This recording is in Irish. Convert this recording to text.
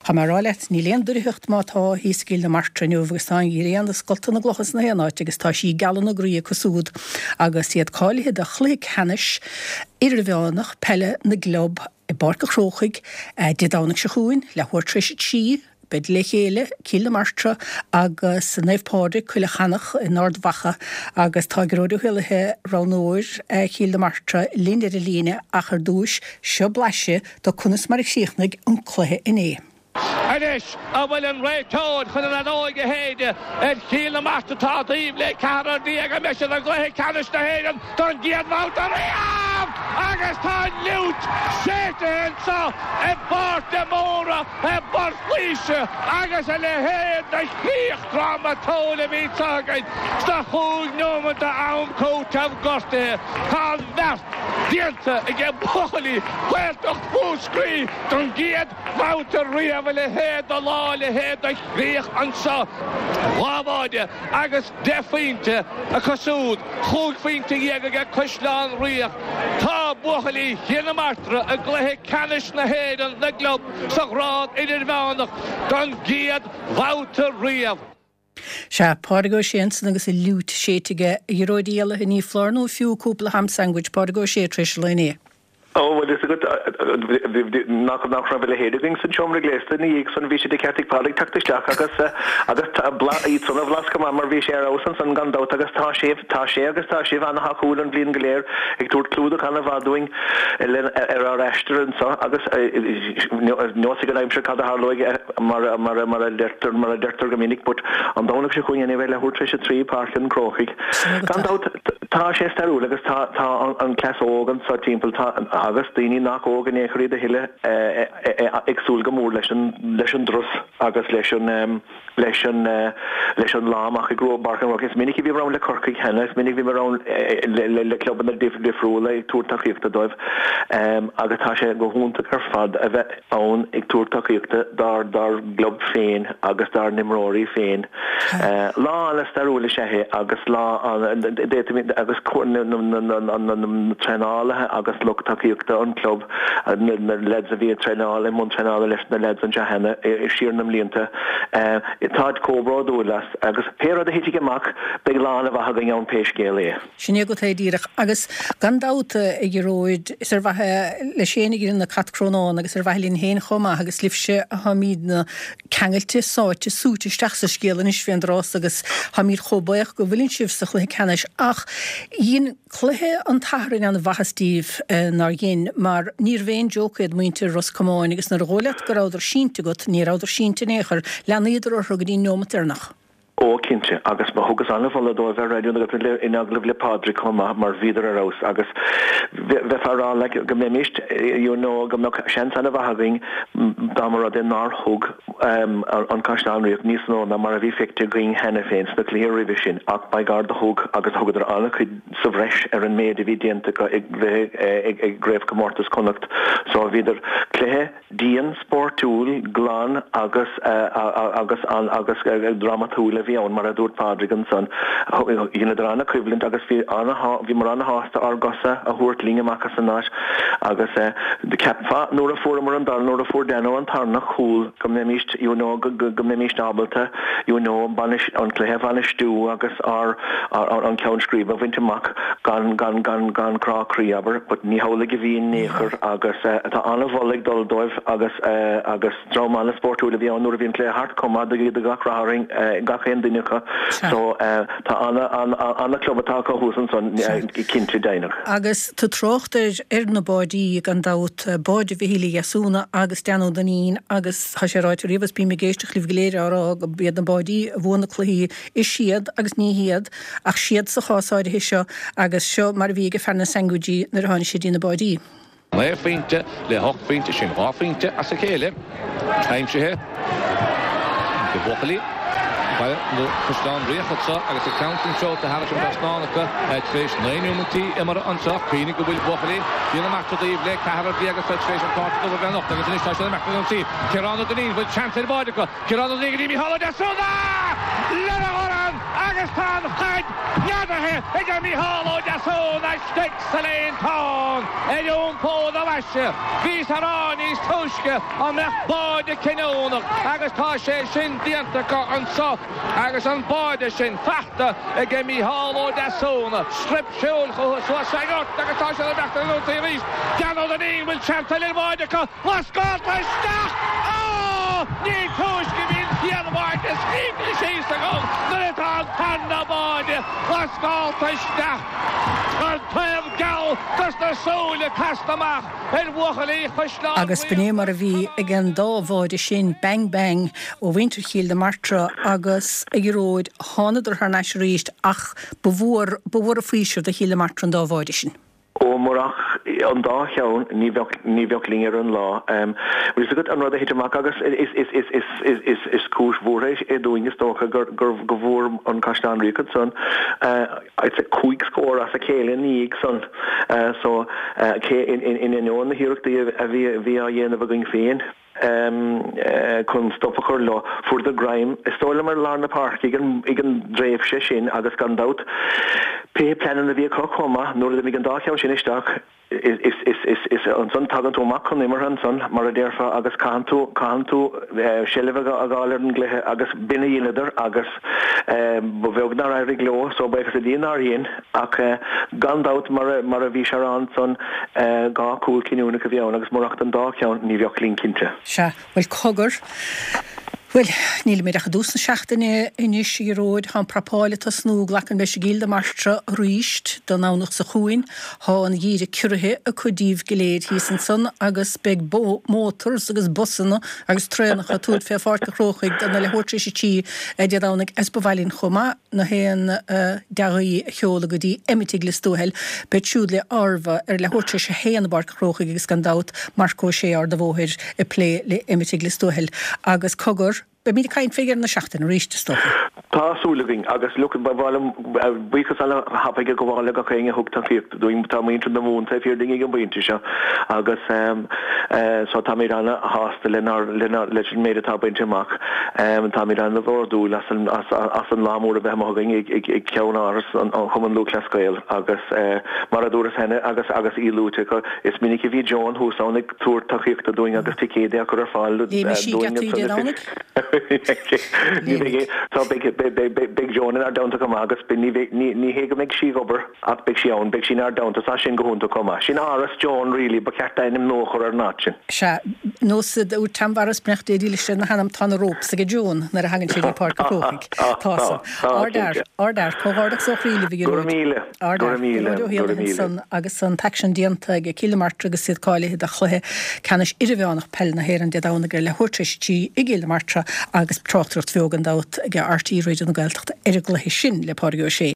Tá mé a rá leat, níl aon doircheacht má tá thíos i gCill na Martra inniu agus tá an ghrian ag scoltadh na gclocha sna haon áit agus tá sí ag gealadh na groí acu súd agus iad cáilithe do chluiche ceannais idirmheánach peile na gclub i bPáirc an Chrócaigh Dé Domhnaigh seo chugainn, leathuair tar éis a 3. Beid le chéile, Cill na Martra agus Naomh Pádraig, Coille Chanach in Ard Mhacha agus tá Gearóid Ó hÉallaithe, roghnóir Chill na Martra, linn ar an líne ach ar dtúis, seo blaiseadh de conas mar a chríochnaigh an cluiche inné. Anois an bhfuil an réiteoir chun an fheadóig a shéideadh ar Chill na Martra atá taobh le ceathrar an mbeidh siad i gcluiche ceannais na hÉireann don gcéad bhabhta riamh agus tá an fhliúit séidte anseo i bPáirc de Mórdha i bPort Laoise agus a leithéid de chríoch drámatúil a bhí anseo againn sna chúig neomat d'am cúitimh gortaithe. Tá an bheart déanta aige buachaillí Ghaeltacht Mhúscraí don gcéad bhabhta riamh a leithéid de lá, a leithéid de chríoch anseo. Dhá bháide agus deich phointe acu siúd, chúig phointe dhéag aige Caisleán Riach. Tá buachaillí Chill na Martra i gcluiche ceannais na hÉireann na gclub sa ghrád idirmheánach don gcéad bhabhta riamh. Sea, Pádraig Ó Sé ansan agus an fhliúit séidte aige, a Ghearóid Uí Éallaithe, ní foláir nó fiú cúpla ham sandwich Pádraig Ó Sé tar éis an lae inné. Ó, bhuel, fhios agat, nach, nach raibh a leithéid againn san seomra gléasta ina dhiaidh san, bhí sé de cheart ag Pádraig teacht isteach agus, agus blas, iad san a bhlas go maith mar bhí sé ar fheabhas ansan gan dabht agus tá sé, tá sé agus tá sibh ana-thacúil an bhliain go léir ag tabhairt clúdach ana-mhaith dúinn le, ar ár aistear anso agus nós ag an aimsir cad a tharlóidh mar, mar, mar a deirtear, mar a deirtear go minic but an Domhnach seo chugainn anyway leathuair tar éis a 3, Páirc an Chrócaigh. Gan dabht. Tá sé stairiúil agus tá tá an cleas óg anso timpeall tá agus daoine nach óg in aon chor iad a thuilleadh ag súil go mór leis an leis an dturas agus leis an leis an leis an lá amach i bPáirc an Chrócaigh. Is minic a bhíomar ann le Corcaigh cheana, is minic a bhíomar ann le le clubanna difriúla ag tabhairt tacaíochta dóibh agus tá sé go hiontach ar fad a bheith ann ag tabhairt tacaíochta dár dár gclub féin agus dár n-imreoirí féin. Lá an-stairiúil is ea é agus lá an d'fhéadfaimid agus na na traenálaithe agus lucht tacaíochta an chlub, na leaids a bhí ag traenáil i mbun traenála leis na leaids anseo cheana siar na mblianta, táid chomh bródúil as agus pé rud a thitfidh amach beidh lá an-mhaith againn ann pé scéal é. Sin é agat é díreach. Agus gan dabht, a Ghearóid, is ar mhaithe leis féin a dheineann an cat crónán agus ar mhaithe linn féin chomh maith agus libhse atáimídne ceangailte, sáite, súite isteach sa scéal anois fén dtráth so agus táimíd chomh buíoch go bhfuileann sibh sa chluiche ceannais ach dhein cluiche an tSathairn an-mhaitheas díbh, nár dhein, mar níorbh aon joke iad muintir Ros Comáin agus nuair a dhóigh leat go rabhadar sínte agat, ní rabhadar sínte in aon chor, leanaíodar orthu go dtí an neomat deireanach. Ó, cinnte, agus thugas an-mholadh dóibh ar Raidió na Gaeltachta in agallamh le Pádraig chomh maith mar bhíodar ar fheabhas agus bheifeá ag rá like go mbeimíst you know go mbeadh seans an-mhaith againn dá mba rud é nár thug an Caisleán Riach níos mó ná mar a bhí feicthe againn cheana féin sna cluichí roimhe sin ach by God do thug agus thugadar an-chuid sa bhreis ar an méid a bhí déanta acu i gcraobhchomórtas Chonnacht so bhíodar cluiche Dian, spóirtiúil, glan agus agus agus drámatúil a bhí ann, mar a dúirt Pádraig ansan. Dheineadar an-choimhlint agus bhí bhíomar an-shásta ár gcosa a thabhairt linn amach as an áit agus cheapfá nuair a fuaireamar an dara, nuair a fuair Dano an tarna cúl go mbeimíst you know go mbeimíst ábalta you know an cluiche a bhainistiú agus ár an ceann scríbe a bhaint amach gan gan gan gan crá croí, abair, but ní hamhlaidh a bhí in aon chor agus tá an-mholadh ag dul dóibh agus agus dream an-spórtúil a bhí ann nuair a bhí an cluiche thart chomh maith do gach rath orainn gach aon duine acu so tá an-chlub atá acu thuas ansan cinnte deimhneach. Agus tú trácht ar ar na báidí gan dabht, báide Mhichíl Uí Dheasúna agus Dan Ó Duinnín agus tá sé ráite riamh agus bím ag éisteacht libh go léir á rá go b'iad na báidí a bhuann na cluichí Is siad agus ní hiad, ach siad sa chás áirithe seo agus seo mar a bhí ag fear na sandwichí nuair a tháinig sé dtí na báidí. 9 phointe le 8 phointe, sin 2 phointe as a chéile aimsithe ag buachaillí Bhaile nó Chaisleán Riach anseo agus an ceann sin seolta thairis an dtrasnán acu tar éis 9 neomaintí imeartha anseo. Cuimhnigh go bhfuil buachaillí Chill na Martra taobh le ceathrar déag atá tar éis an cárta dubh a bheith anocht agus anois tá siad ag imeacht ar ionsaí. Ciarán Ó Duinnín, bhfuil seans ar bháide acu? Ciarán Ó Duinnín go dtí Mícheál Ó Deasúna! Lena dhorn! Agus tá an chaid neadaithe ag Mícheál Ó Deasúna istigh sa líontán ar iompó na maise. Bhíos á rá níos túisce an mbeadh báide cinniúnach agus tá sé sin déanta acu anso agus an báide sin fachta ag Mícheál Ó Deasúna. Straip siúil chucu suas sa ngort agus tá siad ag imeacht ar an ionsaí arís. Dan Ó Duinnín, bhfuil seans eile ar bháide acu? Lascálta isteach! Á! Ní túisce bhí an chéad bháide scríte síos agam nuair atá an tarna báide lascálta isteach. An taobh geal dos na súile casta amach ar bhuachaillí Chaisleán Agus b'in é mar a bhí ag an dá bháide sin, bang bang ó mhuintir Chill na Martra agus a Ghearóid, thánadar thar n-ais arís ach ba mhór, ba mhór an faoiseamh do Chill na Martra an dá bháide sin. Ó, murach an dá cheann, ní bheadh, ní bheadh linn ar an lá. Bhfuil fhios agat an rud a thit amach agus is, is, is, is, is, is, is cúis bhuartha é dúinn is dócha gur, gur, go bhfuair an Caisleán Riach ansan, I'd say 5 scór as a chéile ina dhiaidh san. So, cé, in, in, in ainneoin na hiarrachtaí a bhí, a bhí á dhéanamh againn féin, chun stop a chur leo. Fuaireadar greim, is dóigh liom, ar lár na páirce ag an dtréimhse sin agus gan dabht, pé pleananna a bhí acu chomh maith, nuair a d'imigh an dá cheann sin isteach, is ansan tagann tú amach chun imeartha ansan, mar a déarfá, agus caitheann tú, caitheann tú seilbh a fháil ar an gcluiche agus b'in a dheineadar agus ba bheag nár éirigh leo, so buíochas le Dia nár dhein. Ach gan dabht, mar a bhí sé a rá ansan, 2 chúl cinniúnach a bhí ann agus murach don dá cheann, ní bheadh linn cinnte. Sea, bhuel cogar. Bhuel, nílimid ach i dtús na seachtaine anois, a Ghearóid. Tá an prapáil ag tosnú, glacann leis i gCill na Martra arís don Domhnach seo chugainn. Tá an geimhreadh ciorraithe acu díobh go léir thíos ansan agus beidh motors agus busanna agus traenacha ag tabhairt fé Pháirc an Chrócaigh don leathuair tar éis a 3 Dé Domhnaigh is ba mhaith linn chomh maith. na haon dea-ghuí a sheoladh go dtí Emmet i Lios Tuathail. Beid siúd le Arva ar leathuair tar éis a haon i bPáirc an Chrócaigh agus gan dabht Marc Ó Sé Ard a' Bhóthair ag plé le Emmet i Lios Tuathail. Agus cogar, beimid ag caint fé dheireadh na seachtaine arís, is dócha. Tá súil againn agus look, ba mhaith liom buíochas ana-thapaidh a ghabháil le gach éinne a thug tacaíocht dúinn. Tá muintir na Mumhan taobh thiar dínn ag an bpointe seo agus so táimid ana-shásta lenár, lenár, leis an méid atá bainte amach. Táimid an-bhródúil as an as an lá mór a bheith amuigh againn ag ag ceann-áras an Chumann Lúthchleas Gael agus mar a dúras cheana agus agus í luaite acu, is minic a bhí Joan thuas ann ag tabhairt tacaíochta dúinn agus ticéid á cur ar fáil Léimidh sí dúinn geataí Dé Domhnaigh? Ní bheidh, tá beidh beidh beidh Joan inár dteannta chomh maith agus ní bheidh ní ní hé go mbeidh sí ag obair Ach beidh sí ann, beidh sí inár dteannta, tá sin go hiontach chomh maith. Sin Áras Joan really, ba cheart ainm nua a chur ar an áit sin. Sea, nós a dúirt Tom Mharas Beannacht Dé dílis lena hanam, tá na ropes aige Joan nuair a thagann sé dtí Páirc an Chrócaigh. Tá san. Ardfhear, ardfhear, comhghairdeachas ó chroí libh a Go raibh Ghearóid. míle, go Ardfhear, raibh míle, Gearóid Ó go raibh hÉallaithe míle. ansan agus an t-aicsean déanta ag Cill na Martra agus iad cáilithe do chluiche ceannais idirmheánach peile na hÉireann Dé Domhnaigh ar leathuair tar éis a 3 i gCill na Martra agus tráchtaireacht bheo gan dabht ag RTÉ Raidió na Gaeltachta ar an gcluiche sin le Pádraig Ó Sé.